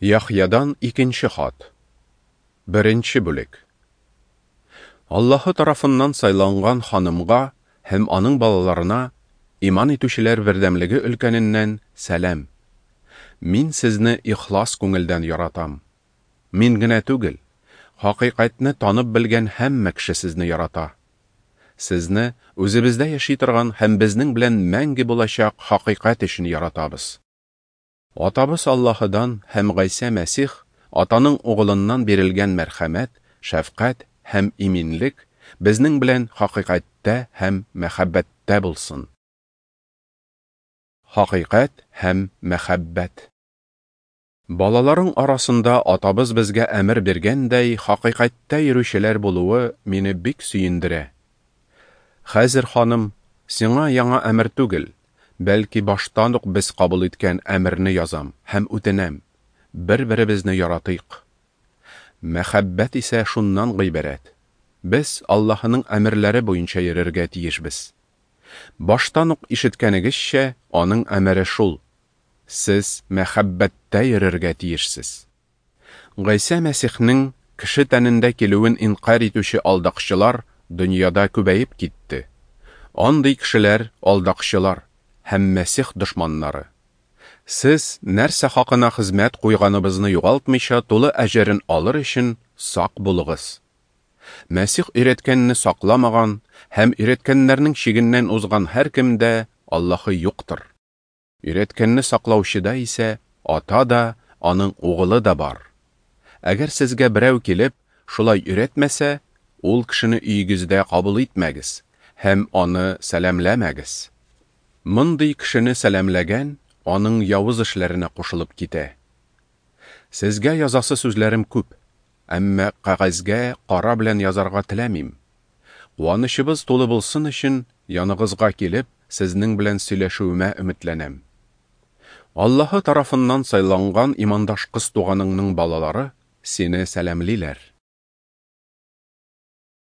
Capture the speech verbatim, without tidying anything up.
Яхъядан икенче хат. Беренче бүлек. Аллаһы тарафыннан сайланган ханымга һәм аның балаларына иман итүчеләр бердәмлеге өлкәненнән сәлам. Мин сезне ихлас күңелдән яратам. Мин генә түгел, хакыйкатьне танып белгән һәммә кеше сезне ярата. Сезне үзебездә яши торган һәм безнең белән мәңге булачак хакыйкать өчен яратабыз. Атабыз Аллаһыдан һәм Гайсә Мәсих, Атаның Угылыннан бирелгән мәрхәмәт, шәфкать һәм иминлек безнең белән хакыйкатьтә һәм мәхәббәттә булсын. Хакыйкать һәм мәхәббәт. Балаларың арасында Атабыз безгә әмер биргәндәй хакыйкатьтә йөрүчеләр булуы мине бик сөендерә. Хәзер, ханым, сиңа яңа әмер түгел, бәлки баштан ук без кабул иткән әмерне язам һәм үтенәм: бер-беребезне яратыйк. Мәхәббәт исә шуннан гыйбарәт: без Аллаһының әмерләре буенча йөрергә тиешбез. Баштан ук ишеткәнегезчә, аның әмере шул: сез мәхәббәттә йөрергә тиешсез. Гайсә Мәсихнең кеше тәнендә килүен инкарь итүче алдакчылар дөньяда күбәеп китте. Андый кешеләр алдакчылар һәм Мәсих дошманнары. Сез нәрсә хакына хезмәт куйганыбызны югалтмыйча тулы әҗерен алыр өчен сак булыгыз. Мәсих өйрәткәнне сакламаган һәм өйрәткәннәрнең чигеннән узган һәркемдә Аллаһы юктыр. Өйрәткәнне саклаучыда исә Ата да, аның Угылы да бар. Әгәр сезгә берәү килеп, шулай өйрәтмәсә, ул кешене өегездә кабул итмәгез һәм аны сәламләмәгез. Мондый кешене сәламләгән аның явыз эшләренә кушылып китә. Сезгә язасы сүзләрем күп, әмма кәгазьгә кара белән язарга теләмим. Куанычыбыз тулы булсын өчен яныгызга килеп, сезнең белән сөйләшүемә өметләнәм. Аллаһы тарафыннан сайланган имандаш кыз туганыңның балалары сине сәламлиләр.